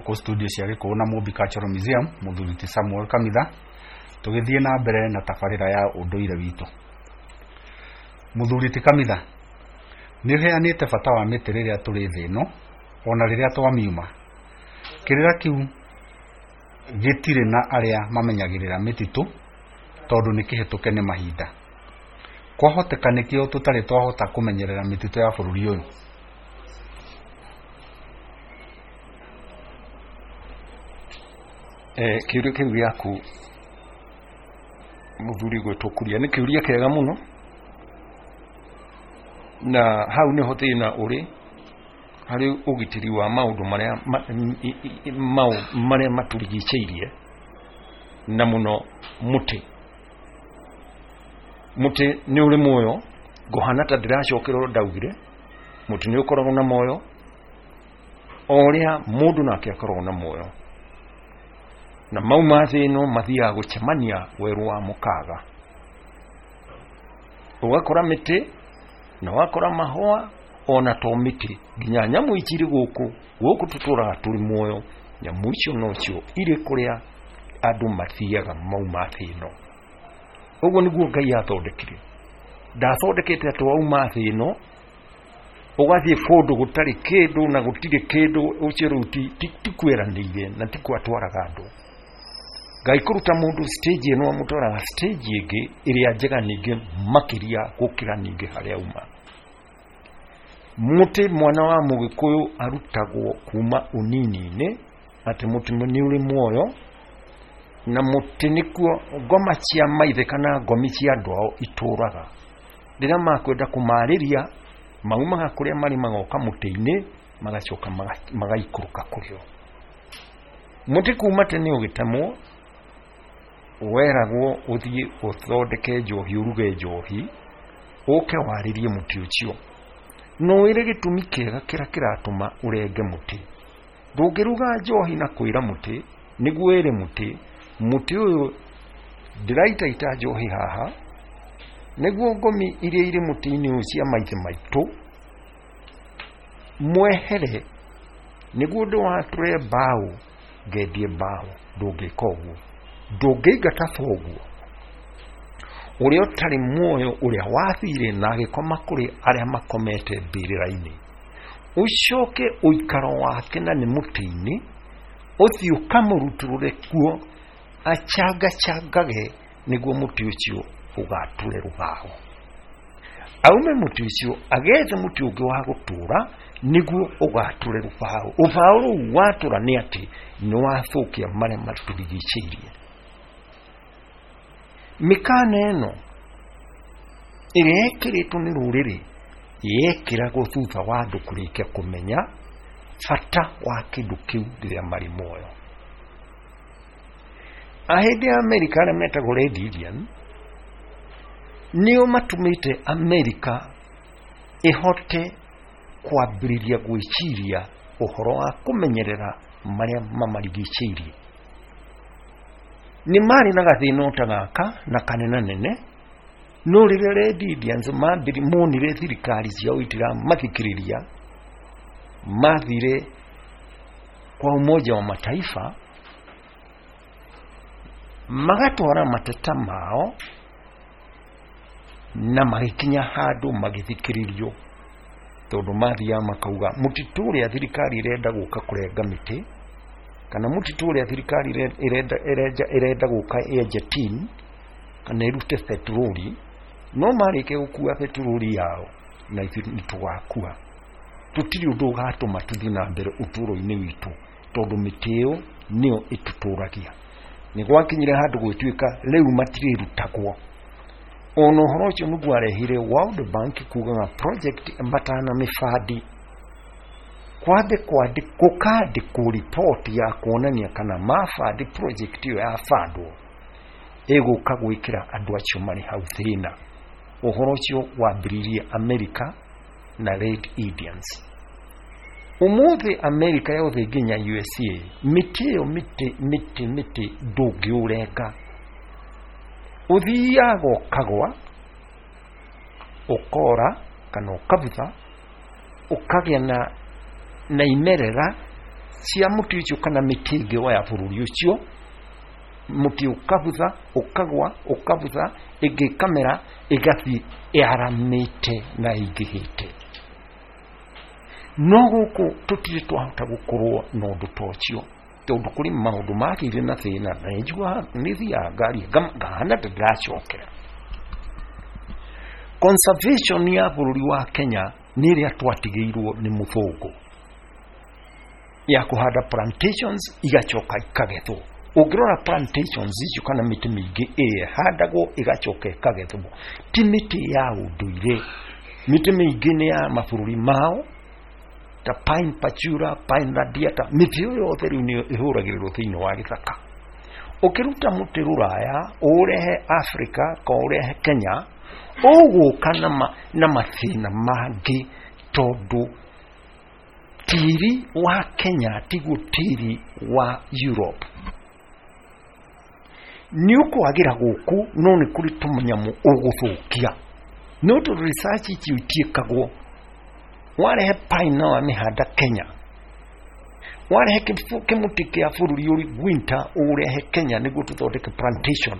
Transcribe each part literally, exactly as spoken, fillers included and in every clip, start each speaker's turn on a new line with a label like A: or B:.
A: Gũkũ studio cia Gĩkũyũ na Mũmbi Cultural Museum, mũthuri ti Samuel Kamitha, tũgĩthiĩ na mbere na tabarĩra ya ũndũire witũ. Mũthuri ti Kamitha, nĩ ũheanĩte bata wa mĩtĩ rĩrĩa tũrĩ thĩ ĩno ona rĩrĩa twamiuma. Kĩrĩra kĩu gĩtirĩ na arĩa mamenyagĩrĩra mĩtitũ tondũ nĩ kĩhĩtũke nĩ mahinda. Kwahoteka nĩkĩo tũtarĩ twahota kũmenyerera mĩtitũ ya bũrũri ũyũ.
B: Eh, kĩũria kĩu gĩaku mũthuri gwĩtwo Kuria nĩ kĩũria kĩega mũno, na hau nĩho thĩna ũrĩ harĩ ũgitĩri wa maũndũ marĩa marĩa matũrigicĩirie, na mũno mũtĩ. Mũtĩ nĩ ũrĩ muoyo, ngũhana ta ndĩracokera ũrĩa ndaugire, mũtĩ nĩ ũkoragwo na muoyo o ũrĩa mũndũ nake akoragwo na muoyo, na mauma thĩ ĩno mathiaga gũcemania werũ wa mũkaga. Ũgakora mĩtĩ na wakora mahũa, ona to mĩtĩ, nginya nyamũ ici irĩ gũkũ gũkũ tũtũraga tũrĩ muoyo, nyamũ icio nocio irĩ kũrĩa andũ mathiaga mauma thĩ ĩno. Ũguo nĩguo Ngai athondekire. Ndathondekete atĩ wauma thĩ ĩno ũgathiĩ kũndũ gũtarĩ kĩndũ na gũtirĩ kĩndũ, ũcio rĩu ti kwĩranĩire na ti kwatwaraga andũ. Ngai kũruta mũndũ stage ĩno amũtwaraga stage ĩngĩ ĩrĩa njega ningĩ makĩria gũkĩra ningĩ harĩa auma. Mũtĩ mwana wa mũgĩkũyũ arutagwo kuma ũnini-inĩ atĩ mũtĩ nĩ ũrĩ muoyo, na mũtĩ nĩkuo ngoma cia maithe kana ngomi cia andũ ao itũraga. Rĩrĩa makwenda kũmarĩria maumaga kũrĩa marĩ magoka mũtĩ-inĩ, magacoka magaikũrũka kũrĩ o. Mũtĩ kuma tene ũgĩtemwo weragwo ũthiĩ ũthondeke njohi, ũruge njohi, ũke warĩrie mũtĩ ũcio. No wĩre gĩtũmi kĩega kĩrĩa kĩratũma ũrenge mũtĩ. Ndũngĩruga njohi na kwĩra mũtĩ, nĩguo wĩre mũtĩ, mũtĩ ũyũ ndĩraitaita njohi haha nĩguo ngomi iria irĩ mũtĩ-inĩ ũyũ cia maithe maitũ mwehere, nĩguo ndĩwatũre mbaũ ngendie mbaũ. Ndũngĩka ũguo, ndũngĩingata thoguo ũrĩa ũtarĩ muoyo, ũrĩa wathire na agĩkoma kũrĩ arĩa makomete mbĩrĩra-inĩ, ũcoke ũikaro wake na nĩ mũtĩ-inĩ, ũthiĩ ũkamũrutũrũre kuo achangachangage nĩguo mũtĩ ũcio ũgatũre rũbaũ. Aume mũtĩ ũcio agethe mũtĩ ũngĩ wa gũtũra nĩguo ũgatũre rũbaũ. Rũbaũ rũu watũra nĩ atĩ nĩ wathũkia marĩa matũrigicĩirie. Mĩkana ĩno ĩrĩa ĩkĩrĩtwo nĩ rũrĩrĩ yekĩragwo thutha wa andũ kũrĩkia kũmenya bata wa kĩndũ kĩu rĩrĩa marĩ muoyo. Ahĩndĩ a Amerika arĩa metagwo Red Indian nĩo matũmĩte Amerika ĩhote kwambĩrĩria gwĩciria ũhoro wa kũmenyerera marĩa mamarigicĩirie. Nĩ marĩ na gathĩna o ta gaka na kanenanene, no rĩrĩa Red Indians monire thirikari ciao itiramathikĩrĩria, mathire kwa Umoja wa Mataifa magatwara mateta mao na magĩkinya handũ magĩthikĩrĩrio, tondũ mathiaga makauga mũtitũ ũrĩa thirikari ĩrenda gũka kũrenga mĩtĩ, kana mũtitũ ũrĩa thirikari ĩrenda ĩrenda gũka yenje tin kana ĩrute petroli, no marĩkia gũkua petroli yao na ithuĩ nĩ tũgakua. Tũtirĩ ũndũ ũgatũma tũthiĩ na mbere ũtũũro-inĩ witũ, tondũ mĩtĩ ĩyo nĩyo ĩtũtũragia. Nĩ gwakinyire handũ gwĩtuĩka rĩu matirĩrutagwo. Ona ũhoro ũcio nĩguo arehire World Bank kugaga project matana mĩbandi kwambe gũkandĩkwo riboti ya kuonania kana mabandi project ĩyo yabandwo ĩgũka gwĩkĩra andũ acio marĩ hau thĩna. Ũhoro ũcio wambĩrĩirie Amerika na Red Indians. Ũmũthĩ Amerika yothe nginya U S A, mĩtĩ ĩyo mĩtĩ mĩtĩ mĩtĩ ndũngĩũrenga, ũthiaga ũkagwa ũkora kana ũkabutha ũkagĩa na na imerera cia mũtĩ ũcio kana mĩtĩ ĩngĩ ya bũrũri ũcio, mũtĩ ũkabutha, ũkagwa, ũkabutha, ĩngĩ ĩkamera, ĩgathiĩ ĩaramĩte na ĩingĩhĩte. No gũkũ tũtirĩ twahota gũkorwo na ũndũ ta ũcio, tondũ kũrĩ maũndũ magĩire na thĩna, na nĩnjiguaga nĩthiaga ngaria ngahana ta ndĩracokera. Conservation ya bũrũri wa Kenya nĩ ĩrĩa twatigĩirwo nĩ mũthũngũ ya kũhanda plantations igacoka ikagethwo. Ũngĩrora plantations icio kana mĩtĩ mĩingĩ ĩrĩa ĩhandagwo ĩgacoka ĩkagethwo, ti mĩtĩ ya ũndũire. Mĩtĩ mĩingĩ nĩ ya mabũrũri mao ta pine pachura, pine radiata, mĩtĩ ĩyo yothe rĩu nĩ ĩhũragĩrĩrwo thĩinĩ wa gĩthaka. Ũkĩruta mũtĩ Rũraya ũũrehe Africa ka ũrehe Kenya, ũgũka na, ma, na mathĩna mangĩ, tondũ tĩri wa Kenya tiguo tĩri wa Europe. Nĩ ũkwagĩra gũkũ, no nĩ kũrĩ tũmanyamũ ũgũthũkia. No tondũ research icio itiĩkagwo, warehe pine na wamĩhanda Kenya, warehe kĩmũtĩ kĩa bũrũri ũrĩ winter ũrehe Kenya nĩguo tũthondeke plantation,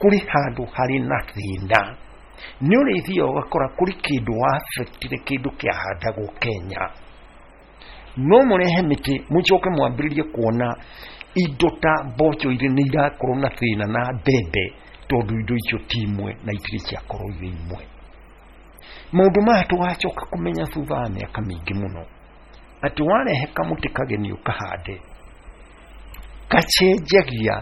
B: kũrĩ handũ harĩ na thĩna. Nĩ ũrĩthiaga ũgakora kũrĩ kĩndũ wa-affectire kĩndũ kĩahandagwo Kenya. No mũrehe mĩtĩ mũcoke mwambĩrĩrie kuona indo ta mboco irĩ nĩ irakorwo na thĩna na mbembe, tondũ indo icio ti imwe na itirĩ ciakorwo irĩ imwe. Maũndũ maya tũgacoka kũmenya thutha wa mĩaka mĩingĩ mũno, atĩ warehe kamũtĩ kageni ũkahande, gacenjagia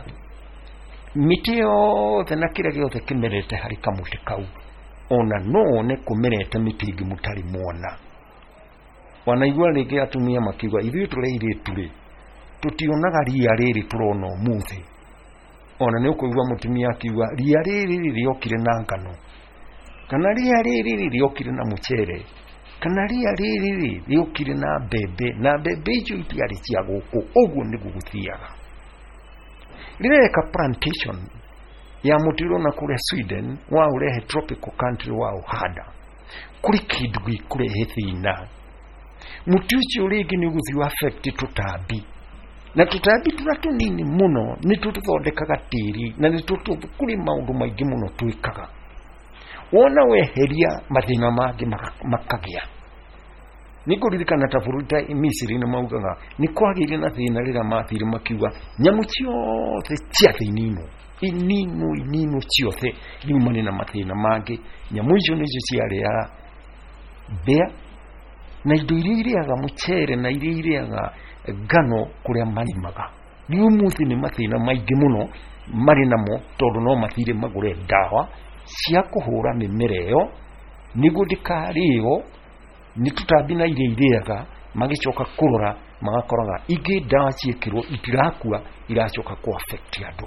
B: mĩtĩ yothe na kĩrĩa gĩothe kĩmerete harĩ kamũtĩ kau. Ona no wone kũmerete mĩtĩ ĩngĩ mũtarĩ mwona. Wanaigua rĩngĩ atumia makiuga ithuĩ tũrĩ airĩtu rĩ, tũtionaga ria rĩrĩ tũrona ũmũthĩ. Ona nĩ ũkũigua mũtumia akiuga ria rĩrĩ rĩokire na ngano, kana ria rĩrĩ rĩokire na mũcere, kana ria rĩrĩ rĩokire na mbembe, na mbembe icio itiarĩ cia gũkũ. Ũguo nĩguo gũthiaga. Rĩrĩa weka plantation ya mũtĩ ũrona kũrĩa Sweden, wa ũrehe tropical country wa ũhanda, kũrĩ kĩndũ gĩkũrehe thĩna. Mũtĩ ũcio rĩngĩ nĩ ũgũthiĩ affect tũtambi, na tũtambi tũrĩa tũnini mũno nĩ tũthondekaga tĩri, na nĩ kũrĩ maũndũ maingĩ mũno twĩkaga. Wona weheria mathĩna mangĩ makagĩa. Nĩ ngũririkana ta bũrũri ta Misiri nĩ maugaga nĩ kwagĩire na thĩna rĩrĩa mathire makiuga nyamũ ciothe cia thĩ ininwo, ininwo, ininwo ciothe, rĩu marĩ na mathĩna mangĩ. Nyamũ icio nĩcio ciarĩaga mbĩa na indo iria irĩaga mũcere na iria irĩaga ngano kũrĩa marĩmaga. Rĩu ũmũthĩ nĩ mathĩna maingĩ mũno marĩ namo, tondũ no mathire magũre ndawa cia kũhũra mĩmera ĩyo nĩguo ndĩkarĩo nĩ tũtambi na iria irĩaga. Magĩcoka kũrora magakoraga ingĩ ndawa ciĩkĩrwo itirakua, iracoka kũ affect andũ.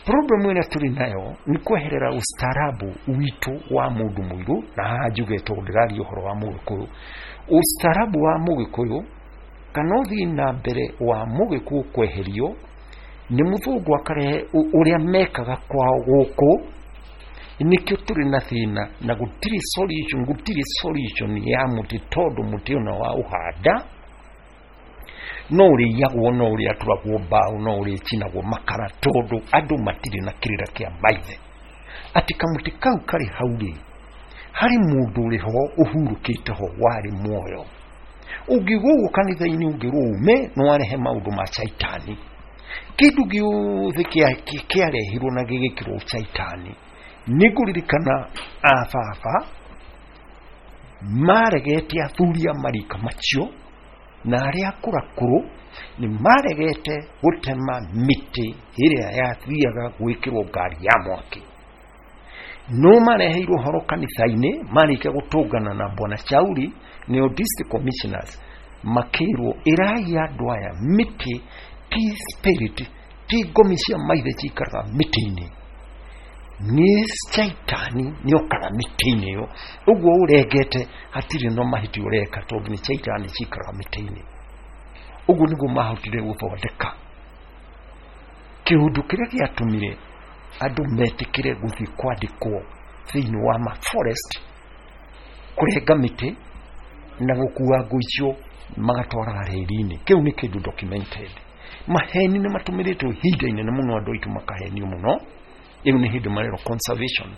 B: Problem ĩrĩa tũrĩ nayo nĩ kweherera ustaarabu witũ wa mũndũ mũirũ, na haha njuge tondũ ndĩraria ũhoro wa mũgĩkũyũ. Ustaarabu wa mũgĩkũyũ kana ũthii na mbere wa mũgĩkũyũ kweherio nĩ mũthũngũ akarehe ũrĩa mekaga kwao gũkũ, nĩkĩo tũrĩ na thĩna na gũtirĩ solution, gũtirĩ solution ya mũtĩ, tondũ mũtĩ ona wa ũhanda no ũrĩiyagwo, no ũrĩatũragwo mbaũ, no ũrĩcinagwo makara, tondũ andũ matirĩ na kĩrĩra kĩa maithe atĩ kamũtĩ kau karĩ hau rĩ, harĩ mũndũ ũrĩ ho ũhurũkĩte ho warĩ muoyo. Ũngiuga ũguo kanitha-inĩ ũngĩrwo ume, no warehe maũndũ ma caitani. Kĩndũ gĩothe kĩarehirwo na gĩgĩkĩrwo caitani. Nĩ ngũririkana a baba maregete athuri a marika macio na arĩa akũrakũrũ nĩ maregete gũtema mĩtĩ ĩrĩa yathiaga gwĩkĩrwo ngari ya mwaki. No mareheirwo ũhoro kanitha-inĩ marĩkia gũtũngana na Bwana Shauri nĩo district commissioners, makĩrwo ĩrai andũ aya mĩtĩ ti spirit, ti ngomi cia maithe cikaraga mĩtĩ-inĩ, nĩ caitani nĩokaga mĩtĩ-inĩ ĩyo. Ũguo ũrengete hatirĩ no mahĩtia ũreka, tondũ nĩ caitani cikaraga mĩtĩ-inĩ. Ũguo nĩguo mahotire gũthondeka kĩũndũ kĩrĩa gĩatũmire andũ metĩkĩre gũthiĩ kwandĩkwo thĩinĩ wa ma forest, kũrenga mĩtĩ na gũkua ngũ icio magatwaraga reri-inĩ. Kĩu nĩ kĩndũ documented. Maheni nĩ matũmĩrĩtwo ihinda inene mũno, andũ aitũ makahenio mũno. Ĩyo nĩ hĩndĩ marerwo conservation.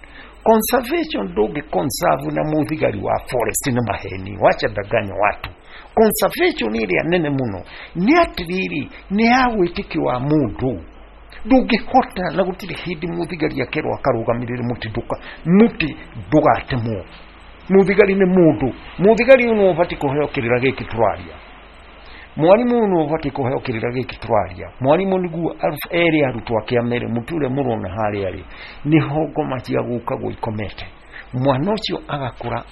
B: Conservation ndũngĩ conserve na mũthigari wa forest, nĩ maheni, wacha danganya watu. Conservation ĩrĩa nene mũno nĩ atĩrĩrĩ, nĩ ya wĩtĩkio wa mũndũ. Ndũngĩhota, na gũtirĩ hĩndĩ mũthigari akerwo akarũgamĩrĩre mũtĩ ndũka mũtĩ ndũgatemwo. Mũthigari nĩ mũndũ, mũthigari ũyũ nĩwe ũbatiĩ kũheo kĩrĩra gĩkĩ tũraria, mwarimũ ũyũ nĩwe ũbatiĩ kũheo kĩrĩra gĩkĩ tũraria. Mwarimũ nĩguo ere arutwo ake amere mũtĩ ũrĩa mũrona harĩa rĩ nĩho ngoma cia gũkagwo ikomete. Mwana ũcio agakũra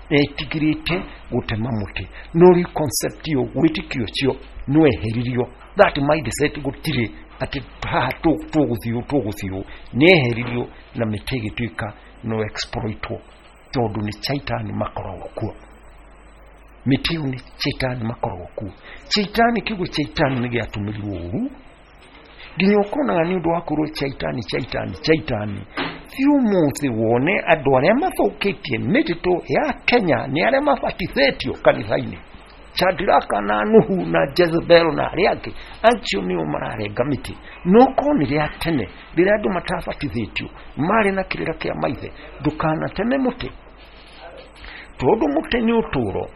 B: etigĩrĩte gũtema mũtĩ. No rĩu concept ĩyo, wĩtĩkio ũcio nĩweheririo. That mindset gũtirĩ atĩ haha tũgũthiĩ tũgũthiĩ, nĩeheririo na mĩtĩ ĩgĩtuĩka no exploitwo, tondũ nĩ chaitani makoragwo kuo. Mĩtĩ ĩyo nĩ chaitani makoragwo kuo. Chaitani, kiugo chaitani nĩ gĩatũmĩrirwo ũru nginya ũkonaga nĩ ũndũ wa kũrwo chaitani chaitani chaitani. Thiĩ ũmũthĩ wone andũ arĩa mathũkĩtie mĩtitũ ya Kenya nĩ arĩa mabatithĩtio kanitha-inĩ, Shadraka na Nuhu na Jezebel na arĩa angĩ, acio nĩo mararenga mĩtĩ. No korwo nĩ rĩa tene rĩrĩa andũ matabatithĩtio marĩ na kĩrĩra kĩa maithe, ndũkanateme mũtĩ, tondũ mũtĩ nĩ ũtũũro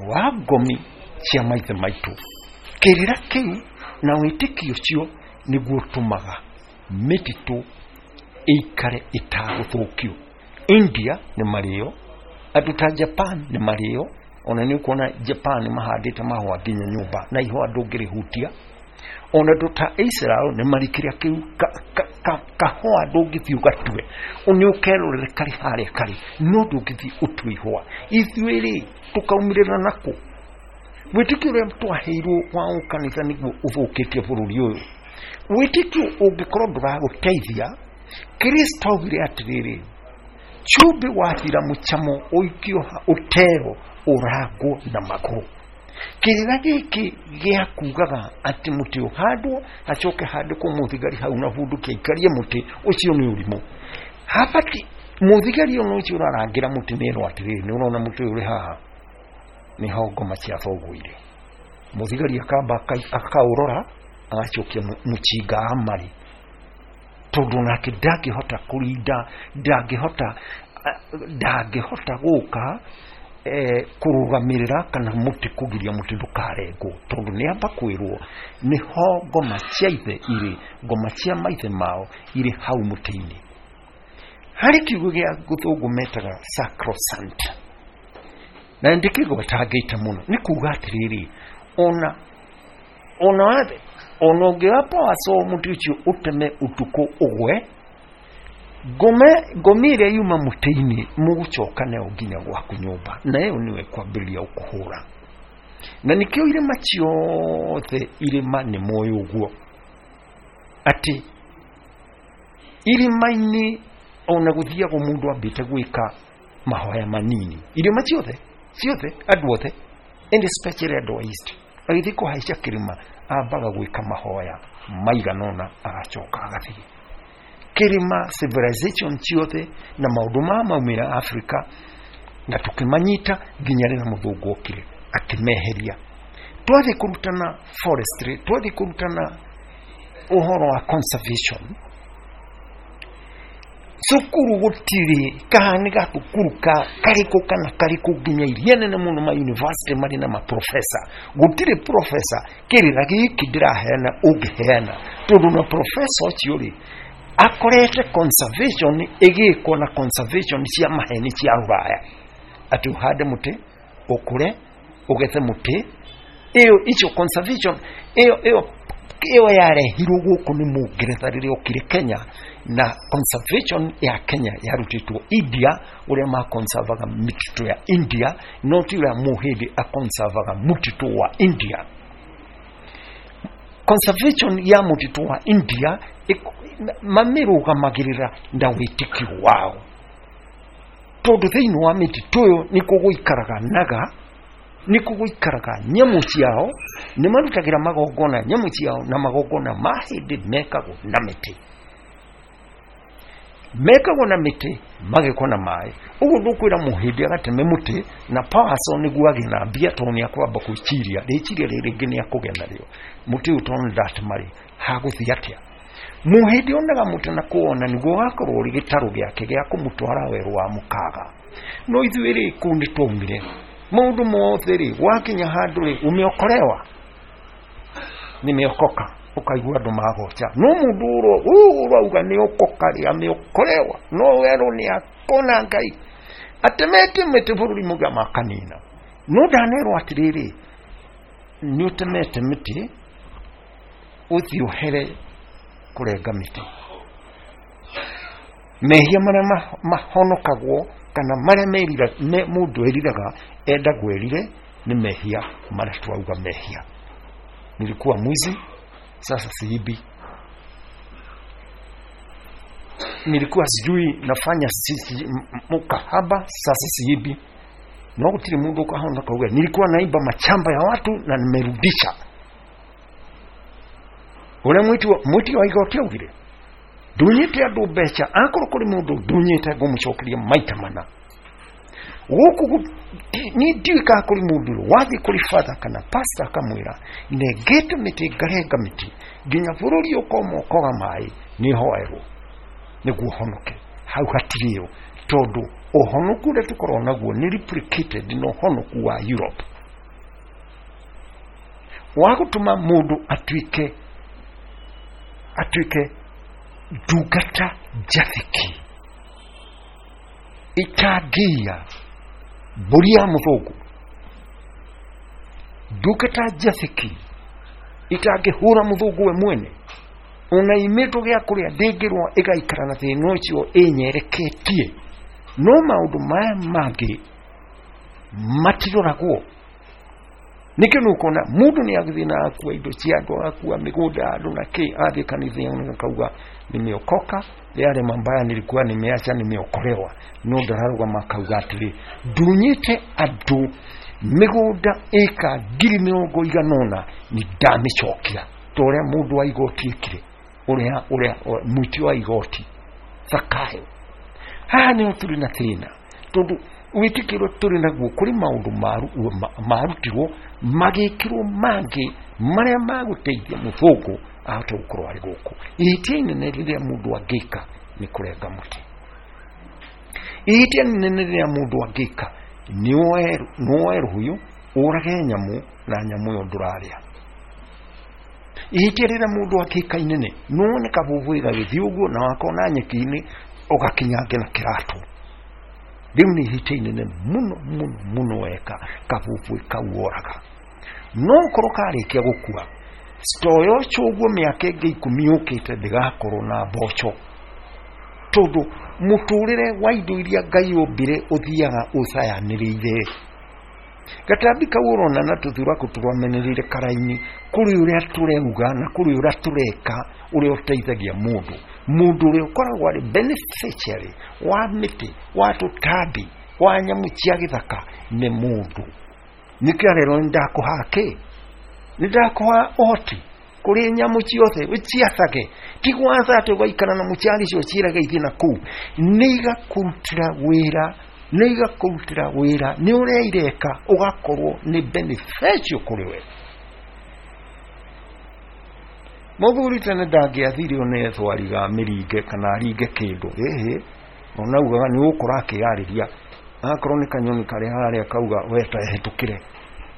B: wa ngomi cia maithe maitũ. Kĩrĩra kĩu na wĩtĩkio ũcio nĩguo ũtũmaga mĩtitũ ĩikare ĩtagũthũkio. India nĩ marĩo, andũ ta Japan nĩ marĩo. Ona nĩ ũkuona Japan mahandĩte mahũa nginya nyũmba na ihũa ndũngĩrĩhutia. Ona andũ ta Israel nĩ marĩ kĩrĩa kĩu kahũa ndũngĩthiĩ ũgatue, nĩ ũkerorere karĩ harĩa karĩ, no ndũngĩthiĩ ũtue ihũa. Ithuĩ rĩ tũkaumĩrĩra nakũ? Wĩtĩkio ũrĩa twaheirwo wa ũkanitha nĩguo ũthũkĩtie bũrũri ũyũ. Wĩtĩkio ũngĩkorwo ndũragũteithia, Kristo augire atĩrĩrĩ, cumbĩ wathira mũcamo ũikio ũtero ũrangwo na magũrũ. Kĩrĩra gĩkĩ gĩa kugaga atĩ mũtĩ ũhandwo hacoke handĩkwo mũthigari hau na bunduki aikarie mũtĩ ũcio nĩ ũrimũ. Habati mũthigari ona ũcio ũrarangĩra mũtĩ nĩerwo atĩrĩrĩ, nĩ ũrona mũtĩ ũyũ ũrĩ haha nĩho ngoma cia thoguo irĩ. Mũthigari akamba akaũrora agacokia mũcinga amarĩ, tondũ nake ndangĩhota kũrinda, ndangĩhota ndangĩhota gũka eh, kũrũgamĩrĩra kana mũtĩ kũgiria mũtĩ ndũkarengwo, tondũ nĩ amba kwĩrwo nĩho ngoma cia ithe irĩ, ngoma cia maithe mao irĩ hau mũtĩ-inĩ. Harĩ kiugo gĩa gĩthũngũ metaga sacrosanct, na ndĩkĩgwetangĩte mũno, nĩ kuga atĩrĩrĩ, ona ona wathe ona ũngĩoya power saw mũtĩ ũcio ũteme ũtukũ ũgwe, ngome ngomi ĩrĩa yuma mũtĩ-inĩ mũgũcoka nayo nginya gwaku nyũmba, na ĩyo nĩyo ĩkwambĩrĩria gũkũhũra. Na nĩkĩo irĩma ciothe irĩma nĩ moĩ ũguo atĩ irĩma-inĩ ona gũthiagwo mũndũ ambĩte gwĩka mahoya manini. Irĩma ciothe ciothe andũ othe, and especially andũ a East, agĩthiĩ kũhaica kĩrĩma ambaga gwĩka mahoya maigana ũna agacoka agathiĩ. Kĩrĩma civilization ciothe na maũndũ ma maumĩra Africa na tũkĩmanyita nginya rĩrĩa mũthũngũ okire akĩmeheria. Twathiĩ kũrutana forestry, twathiĩ kũrutana ũhoro wa conservation, cukuru gũtirĩ kaha nĩ gathukuru ka karĩkũ kana karĩkũ nginya iria nene mũno ma university marĩ na maprofesa, gũtirĩ profesa kĩrĩra gĩkĩ ndĩraheana ũngĩheana, tondũ na profesa ũcio rĩ akorete conservation ĩgĩkwo na conservation cia maheni cia rũraya, atĩ ũhande mũtĩ ũkũre ũgethe mũtĩ. Ĩyo icio conservation ĩyo ĩyo ĩyo yarehirwo gũkũ nĩ mũngeretha rĩrĩa okire Kenya, na conservation ya Kenya yarutĩtwo India, ũrĩa makonservaga mĩtitũ ya India, no ti ũrĩa mũhĩndĩ akonservaga mũtitũ wa India. Conservation ya mũtitũ wa India mamĩrũgamagĩrĩra na wĩtĩkio wao, tondũ thĩinĩ wa mĩtitũ ĩyo nĩkuo gũikaraga naga, nĩkuo gũikaraga nyamũ ciao, nĩ marutagĩra magongona nyamũ ciao, na magongona ma hĩndĩ mekagwo na mĩtĩ. Mekagwo na mĩtĩ magekwo na maĩ. Ũguo ndũkwĩra mũhĩndĩ agateme mũtĩ na power saw nĩguo agĩe na mbia, tondũ nĩ akwamba gwĩciria rĩciria rĩrĩ rĩngĩ nĩ akũgĩa narĩo. Mũtĩ ũyũ tondũ ndatema rĩ, hagũthiĩ atĩa? Mũhĩndĩ onaga mũtĩ na kũwona nĩguo ũgakorwo ũrĩ gĩtarũ gĩake gĩa kũmũtwara werũ wa mũkaga. No ithuĩ rĩ, kũu nĩ twaumire maũndũ mothe rĩ, wakinya handũ rĩ, umeokolewa, nimeokoka, ukaigua andũ magoca. No mũndũ ũyũ ũrauga nĩ okoka rĩ, ameokolewa, no werũ nĩ akona Ngai atemete mĩtĩ bũrũri mũgima akanina. No ndanerwo atĩrĩrĩ, nĩ ũtemete mĩtĩ, ũthiĩ ũhere kũrenga mĩtĩ. Mehia marĩa mahonokagwo kana marĩa merira mũndũ eriraga enda gwĩrire nĩ mehia marĩa twauga mehia. Nilikuwa mwizi, sasa siibi. Nilikuwa sijui nafanya sisi mukahaba, sasa siibi. No gutiri mundu ukahona kauga nilikuwa naiba machamba ya watu na nimerudisha. Ule mwiti wa mwiti wa igoti augire ndunyite andu mbeca, akorwo kuri mundu ndunyite ngumucokeria maita mana. Guku ni ndiũĩ kana kũrĩ mũndũ wathiĩ kũrĩ father kana pastor akamwĩra nengete mĩtĩ ngarenga mĩtĩ nginya bũrũri ũkoma ũkoga maĩ, nĩ hoerwo nĩguo honoke. Hau hatirĩ yo, tondũ ũhonoku ũrĩa tũkoragwo naguo nĩ replicated na ũhonoku wa Europe wa gũtũma mũndũ atuĩke atuĩke ndungata njathĩki itangĩiya mbũri ya mũthũngũ, ndungata njathĩki itangĩhũra mũthũngũ we mwene, ona imĩtwo gĩa kũrĩa ndĩngĩrwo ĩgaikara na thĩna ũcio ĩnyereketie. No maũndũ maya mangĩ matiroragwo. Nĩkĩo nĩ ũkona mũndũ nĩ agĩthiĩ na akua indo cia andũ, agakua mĩgũnda ya andũ na kĩ, athiĩ kanitha akauga nimeokoka, yale mambaya nilikuwa nimeacha nimeokolewa. No ndararũgama akauga atĩrĩ, ndunyĩte andũ mĩgũnda ĩka ngiri mĩrongo igana ũna nĩ ndamĩcokia, ta ũrĩa mũndũ wa igoti ekire, ũrĩa ũrĩa mũitia wa igoti Zakayo. Haha nĩho tũrĩ na thĩna, tondũ wĩtĩkio ũrĩa tũrĩ naguo kũrĩ maũndũ marutirwo magĩkĩrwo mangĩ marĩa magũteithia mũthũngũ ahote gũkorwo arĩ gũkũ. Ihĩtia inene rĩrĩa mũndũ angĩka nĩ kũrenga mũtĩ. Ihĩtia inene rĩrĩa mũndũ angĩka nĩ woe rũhiũ ũrage nyamũ na nyamũ ĩyo ndũrarĩa. Ihĩtia rĩrĩa mũndũ angĩka inene nĩ wone kabũbũĩ gagĩthiĩ ũguo na wakona nyeki-inĩ ũgakinyange na kĩratũ. Rĩu nĩ ihĩtia inene mũno mũno mũno weka kabũbũĩ kau woraga. No ũkorwo karĩkia gũkua stoyo ũcio ũguo mĩaka ĩngĩ ikũmi yũkĩte ndĩgakorwo na mboco, tondũ mũtũrĩre wa indo iria Ngai ombire ũthiaga ũcayanĩrĩire. Gatambi kau ũrona na tũthuraku tũramenereire karaini, kũrĩ ũrĩa tũreuga na kũrĩ ũrĩa tũreka ũrĩa ũteithagia mũndũ. Mũndũ ũrĩa ũkoragwo arĩ beneficiary wa mĩtĩ, wa tũtambi, wa nyamũ cia gĩthaka nĩ mũndũ. Nĩkĩo arerwo nĩ ndakũha kĩ, nĩ ndakũha ũhoti kũrĩ nyamũ ciothe ũciathage, ti gwatha atĩ ũgaikara na mũciari icio ciĩrage ithiĩ na kũu, nĩ igakũrutĩra wĩra, nĩ igakũrutĩra wĩra nĩ ũrĩa ireka ũgakorwo nĩ beneficial kũrĩ we. Mũthuri tene ndangĩathire one ethwariga mĩringe kana aringe kĩndũ, ĩhĩ, ona augaga nĩ ũgũkora akĩyarĩria, akorwo nĩ kanyoni karĩ harĩa akauga we ta hĩtũkĩre,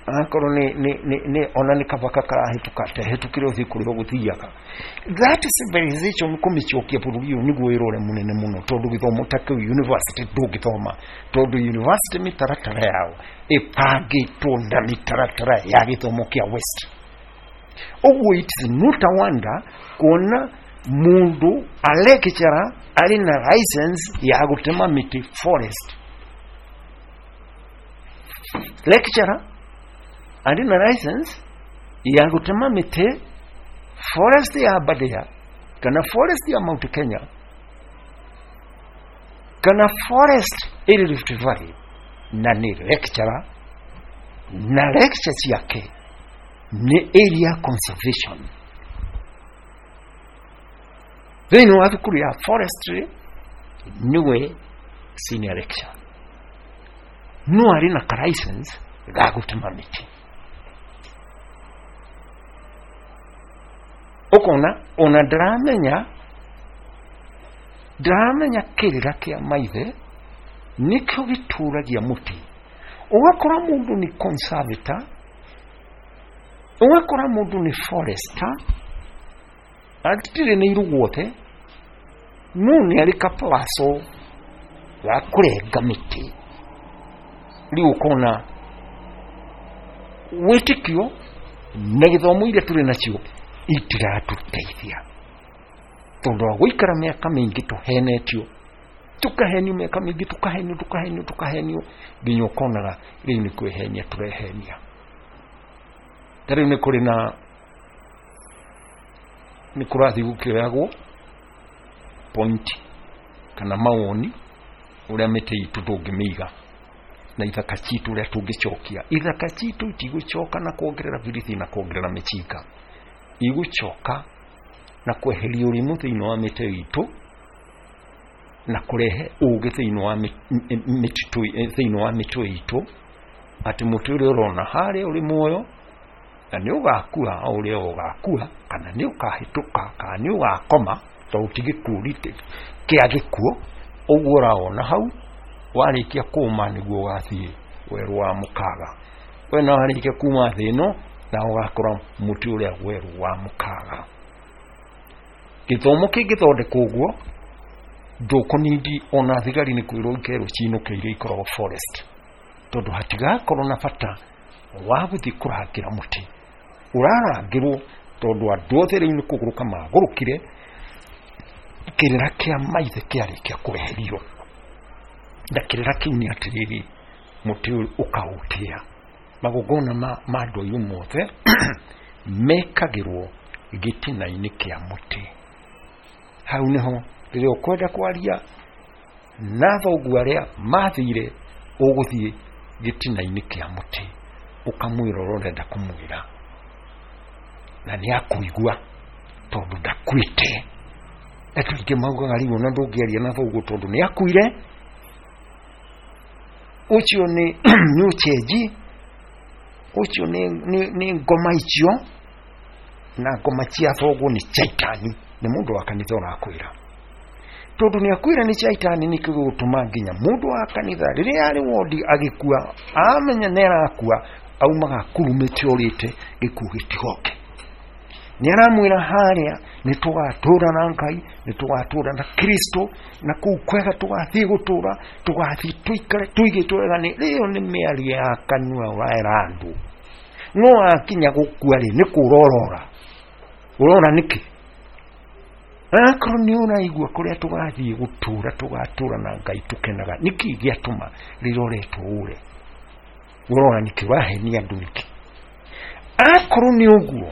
B: akorwo nĩ nĩ nĩ ona nĩ kabaka karahĩtũka ta hĩtũkĩre ũthiĩ kũrĩa ũgũthiaga. That civilization kũmĩcokia bũrũri ũyũ nĩguo wĩra ũrĩa mũnene mũno, tondũ gĩthomo ta kĩu university ndũngĩthoma, tondũ university mĩtaratara yao ĩbangĩtwo na mĩtaratara ya gĩthomo kĩa West. Ũguo it is not a wonder kuona mũndũ a lecturer arĩ na license ya gũtema mĩtĩ forest. Lecturer arĩ na license ya gũtema mĩtĩ forest ya Aberdare kana forest ya Mount Kenya kana forest ĩrĩ Rift Valley, na nĩ lecturer na lecture ciake nĩ area conservation. Thĩinĩ wa thukuru ya forestry Niwe senior lecturer no arĩ na ka license ga gũtema mĩtĩ. Ũkona ona ndaramenya ndaramenya kĩrĩra kĩa maithe nĩkĩo gĩtũragia mũtĩ. Ũgakora mũndũ nĩ conservator, ũgakora mũndũ nĩ forester, atirĩ nĩ iruguothe, no nĩ arĩ kaplaco ga kũrenga mĩtĩ. Rĩu ũkona wĩtĩkio na gĩthomo iria tũrĩ nacio itiratũteithia, tondũ wa gũikara mĩaka mĩingĩ tũhenetio, tukahenio mĩaka mĩingĩ, tukahenio tukahenio tukahenio nginya ũkonaga rĩu nĩ kwĩhenia tũrehenia. Ta rĩu nĩ kũrĩ na nĩ kũrathiĩ gũkĩoyagwo point kana mawoni ũrĩa mĩtĩ itũ tũngĩmĩiga na ithaka citũ ũrĩa tũngĩcokia. Ithaka citũ itigũcoka na kuongerera birithi na kuongerera mĩcinga, igũcoka na kweheria ũrimũ thĩinĩ wa mĩtĩ itũ na kũrehe ũgĩ thĩinĩ wa mĩtitũ, thĩinĩ wa mĩtĩ itũ, atĩ mũtĩ ũrĩa ũrona harĩa ũrĩ muoyo na nĩ ũgakua o ũrĩa ũgakua, kana nĩ ũkahĩtũka, kana nĩ ũgakoma, tondũ ti gĩkuũ kĩa gĩkuũ. Ũguo ũraona hau warĩkia kũma nĩguo ũgathiĩ werũ wa mũkaga. We na warĩkia kuma thĩ ĩno na ũgakora mũtĩ ũrĩa werũ wa mũkaga. Gĩthomo kĩngĩthondekwo ũguo, ndũkũnindi ona thigari nĩ kwĩrwo ikerwo cinũke iria ikoragwo forest, tondũ hatigakorwo na bata wa gũthiĩ kũrangĩra mũtĩ. Ũrarangĩrwo tondũ andũ othe rĩu nĩ kũgũrũka magũrũkire, kĩrĩra kĩa maithe kĩarĩkia kweherio. Na kĩrĩra kĩu nĩ atĩrĩrĩ, mũtĩ ũyũ ũkaũtĩa. Magongona ma ma andũ airũ mothe mekagĩrwo gĩtina-inĩ kĩa mũtĩ. Hau nĩho rĩrĩa ũkwenda kwaria na thoguo arĩa mathire, ũgũthiĩ gĩtina-inĩ kĩa mũtĩ ũkamwĩra ũrĩa ũrenda kũmwĩra, na nĩ akũigua tondũ ndakuĩte. Andũ aingĩ maugaga rĩu ona ndũngĩaria na thoguo tondũ nĩ akuire. Ũcio nĩ nĩ ũcenji, ũcio nĩ nĩ ngoma icio, na ngoma cia thoguo nĩ caitani. Nĩ mũndũ wa kanitha ũrakwĩra, tondũ nĩ akwĩra nĩ caitani. Nĩkĩo gĩgũtũma nginya mũndũ wa kanitha rĩrĩa arĩ wondi agĩkua, amenya nĩ arakua, aumaga akurumĩte orĩte gĩkuũ gĩtigoke. Nĩ aramwĩra harĩa nĩ tũgatũra na Ngai, nĩ tũgatũra na Kristo, na kũu kwega tũgathiĩ gũtũra, tũgathiĩ tũikare tũigĩtwo wega. Nĩ ĩyo nĩ mĩario ya kanua ũraera andũ. No akinya gũkua rĩ, nĩ kũra ũrora. Ũrora nĩkĩ? Akorwo nĩ ũraigua kũrĩa tũgathiĩ gũtũra, tũgatũra na Ngai tũkenaga, nĩkĩ gĩatũma rĩrĩa ũretwo ũre? Ũrora nĩkĩ? Ũrahenia andũ nĩkĩ? Akorwo nĩ ũguo,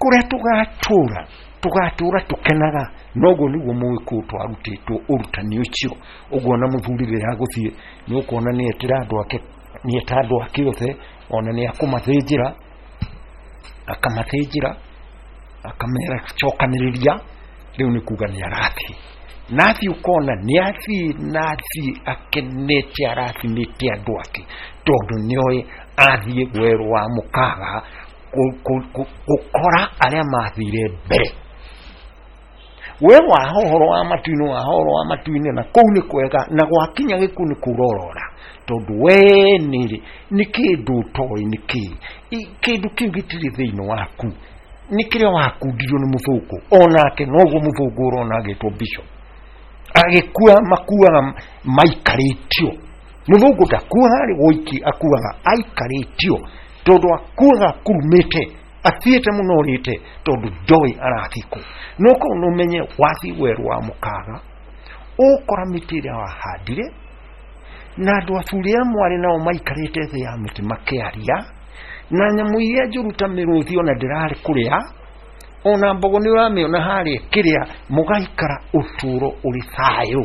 B: kũrĩa tũgatũra, tũgatũra tũkenaga, noguo nĩguo mũgĩkũyũ twarutĩtwo ũrutani ũcio. Ũguo ona mũthuri rĩrĩa agũthiĩ nĩ ũkuona nĩ etĩra andũ ake, nĩ eta andũ ake othe, ona nĩ akũmathĩnjĩra, akamathĩnjĩra, akamera cokanĩrĩria. Rĩu nĩ kuga nĩ arathiĩ, na athiĩ ũkona nĩ athiĩ, na athiĩ akenete, arathimĩte andũ ake, tondũ nĩoĩ athiĩ werũ wa mũkaga gũkora arĩa mathire mbere. We waha ũhoro wa matu-inĩ, waha ũhoro wa matu-inĩ, na kũu nĩ kwega, na gwakinya gĩkuũ nĩ kũrorora, tondũ we nĩ nĩ kĩndũ ũtoĩ nĩ kĩĩ. Kĩndũ kĩu gĩtirĩ thĩinĩ waku, nĩ kĩrĩa wakundirio nĩ mũthũngũ. Onake noguo mũthũngũ ũrona agĩtwo bishop, agĩkua makuaga maikarĩtio. Mũthũngũ ndakuaga arĩ woiki, akuaga aikarĩtio, tondũ akuaga akurumĩte, athiĩte mũno ũrĩte, tondũ ndoĩ arathiĩ kũ. No korwo nĩ ũmenye wathiĩ werũ wa mũkaga, ũkora mĩtĩ ĩrĩa wahandire, na andũ aburĩ a mwarĩ nao maikarĩte thĩ ya mĩtĩ makĩaria, na nyamũ iria njũru ta mĩrũthi ona ndĩrarĩ kũrĩa, ona mbogo nĩ ũramĩona harĩa kĩrĩa, mũgaikara ũtũũro ũrĩ thayũ.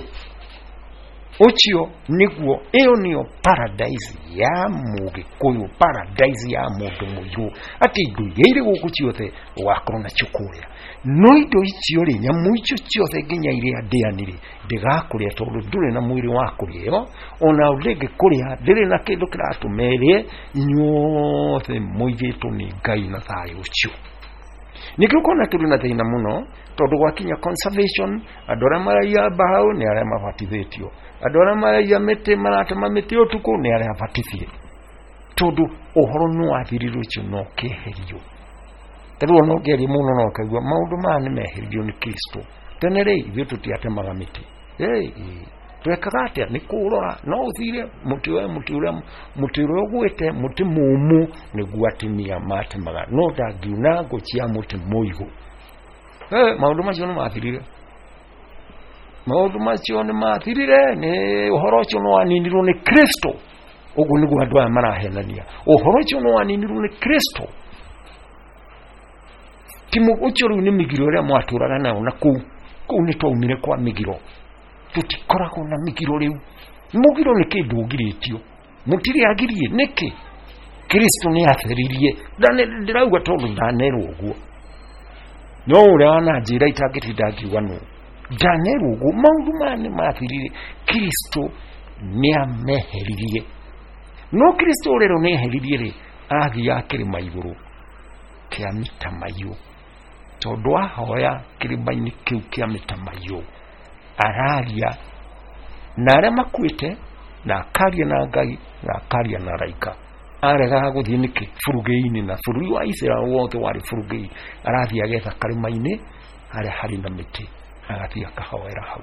B: Ũcio nĩguo, ĩyo nĩyo paradise ya Mũgĩkũyũ, paradise ya mũndũ mũirũ, atĩ indo iria irĩ gũkũ ciothe ũgakorwo nacio kũrĩa. No indo icio rĩ, nyamũ icio ciothe nginya iria ndĩani rĩ, ndĩgakũrĩa tondũ ndũrĩ na mwĩrĩ wa kũrĩa, ona ndĩngĩkũrĩa, ndĩrĩ na kĩndũ kĩratũma ĩrĩe. Inyuothe mũigĩtwo nĩ Ngai na thayũ ũcio. Nĩkĩo ũkona tũrĩ na thĩna mũno, tondũ gwakinya conservation, andũ arĩa maraiya mbaũ nĩ arĩa mabatithĩtio, andũ arĩa maraiya mĩtĩ maratema mĩtĩ ũtukũ nĩ arĩa abatithie, tondũ ũhoro nĩ wathirire ũcio na ũkeherio. Ta rĩu ona ũngĩaria mũno no ũkaigua maũndũ maya nĩ meheririo nĩ Kristo. Tene rĩ, ithuĩ tũtiatemaga mĩtĩ, twekaga atĩa? Nĩ kũrora no ũthire mũtĩ ũrĩa mũtĩ ũrĩa mũtĩ ũrĩa ũgwĩte mũtĩ mũmũ nĩguo atumia matemaga, no ndangiuna ngũ cia mũtĩ mũigũ. Maũndũ macio nĩ mathirire, maũndũ macio nĩ mathirire, nĩ ũhoro ũcio nĩ waninirwo nĩ Kristo. Ũguo nĩguo andũ aya marahenania, ũhoro ũcio nĩ waninirwo nĩ Kristo. Ti ũcio rĩu nĩ mĩgiro ĩrĩa mwatũraga nayo na kũu kũu nĩ twaumire kwa mĩgiro, tũtikoragwo na mĩgiro rĩu. Mũgiro nĩ kĩndũ ũgirĩtio, mũtirĩ agirie nĩkĩ? Kristo nĩ atheririe. Ndĩrauga tondũ ndanerwo ũguo, no ũrĩa wananjĩra itangĩtinda ngiuga nũ, ndanerwo ũguo. Maũndũ maya nĩ mathirire, Kristo nĩ ameheririe. No Kristo ũrĩa nĩ eheririe rĩ, athiaga kĩrĩma igũrũ kĩa mĩtamaiyũ, tondũ ahoya kĩrĩma-inĩ kĩu kĩa mĩtamaiyũ araria na arĩa makuĩte, na akaria na Ngai, na akaria na araika. Aregaga gũthiĩ nĩkĩ burugĩinĩ? Na bũrũri wa Isiraeli wothe warĩ burugĩi. Arathiĩ agetha karĩma-inĩ harĩa harĩ na mĩtĩ, agathiĩ akahoera hau.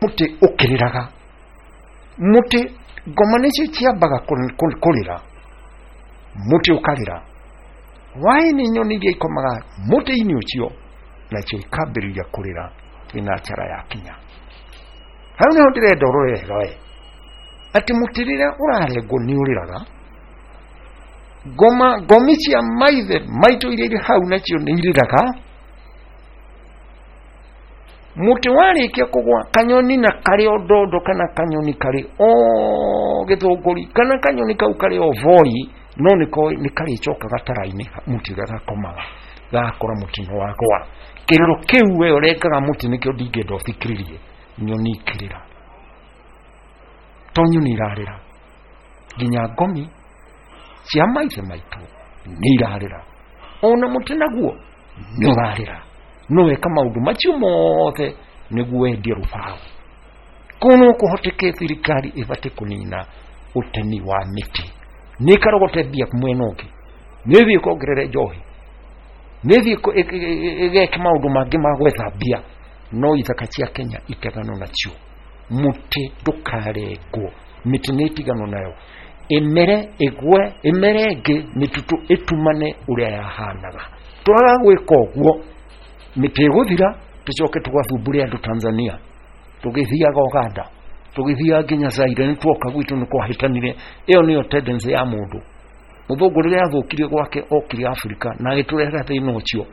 B: Mũtĩ ũkĩrĩraga, mũtĩ ngoma nĩcio ciambaga kũrĩra, mũtĩ ũkarĩra. Waĩ-inĩ nyoni iria ikomaga mũtĩ-inĩ ũcio nacio ikambĩrĩria kũrĩra thinacara yakinya. Hau nĩho ndĩrenda ũrore wega we, atĩ mũtĩ rĩrĩa ũrarengwo nĩ ũrĩraga. Ngoma ngomi cia maithe maitũ iria irĩ hau nacio nĩ irĩraga. Mũtĩ warĩkia kũgwa, kanyoni na karĩ o ndondo, kana kanyoni karĩ o gĩthũngũri, kana kanyoni kau karĩ o voi, no nĩ karĩcoka gatara-inĩ mũtĩ ũrĩa gakomaga, gakora mũtĩ nĩ wagwa. Kĩrĩro kĩu we ũrengaga mũtĩ nĩkĩo ndingĩenda ũthikĩrĩrie nyoni ikĩrĩra, to nyoni irarĩra, nginya ngomi cia maithe maitũ nĩ irarĩra, ona mũtĩ naguo nĩ ũrarĩra. No weka maũndũ macio mothe nĩguo wendie rũbaũ. Kũu no kũhoteke thirikari ĩbatiĩ kũnina ũtemi wa mĩtĩ, nĩ ĩkarogote mbia mwena ũngĩ, nĩ ĩthiĩ ĩkongerere njohi, nĩ ĩthiĩ ĩgeke maũndũ mangĩ ma gwetha mbia, no ithaka cia Kenya itiganwo nacio. Mũtĩ ndũkarengwo, mĩtĩ nĩ ĩtiganwo nayo, ĩmere ĩgwe, ĩmere ĩngĩ, mĩtitũ ĩtumane ũrĩa yahanaga. Twaga gwĩka ũguo, mĩtĩ ĩgũthira, tũcoke tũgathumbũre andũ Tanzania, tũgĩthiaga Uganda, tũgĩthiaga nginya Zaire, nĩ tuoka gwitũ nĩ kwahĩtanire. Ĩyo nĩyo tendency ya mũndũ. Mũthũngũ rĩrĩa athũkirie gwake okire Afrika na agĩtũrehera thĩna ũcio.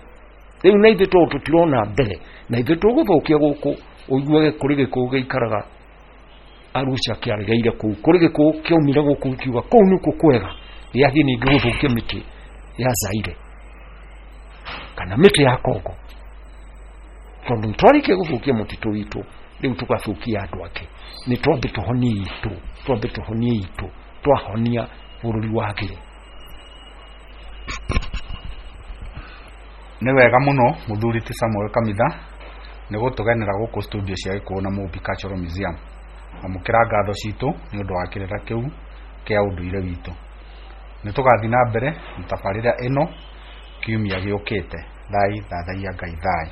B: Rĩu na ithuĩ tondũ tũtirona mbere, na ithuĩ tũgũthũkia gũkũ, ũiguage kũrĩ gĩkũyũ gĩikaraga Arusha kĩaregeire kũu, kũrĩ gĩkũyũ kĩaumire gũkũ gĩkiuga kũu nĩkuo kwega, gĩathiĩ ningĩ gũthũkia mĩtĩ ya Zaire kana mĩtĩ ya Kongo, tondũ nĩtwarĩkia gũthũkia mũtitũ witũ, rĩu tũgathũkia andũ angĩ. Nĩ twambe tũhonie itũ, twambe tũhonie itũ, twahonia bũrũri wagĩre.
A: Nĩ wega mũno mũthuri ti Samuel Kamitha nĩ gũtũgenera gũkũ studio cia Gĩkũyũ na Mũmbi Cultural Museum. Amũkĩra ngatho citũ nĩ ũndũ wa kĩrĩra kĩu kĩa ũndũire witũ. Nĩ tũgathiĩ na mbere na tabarĩra ĩno kiumia gĩũkĩte. Thai thathaiya Ngai thai.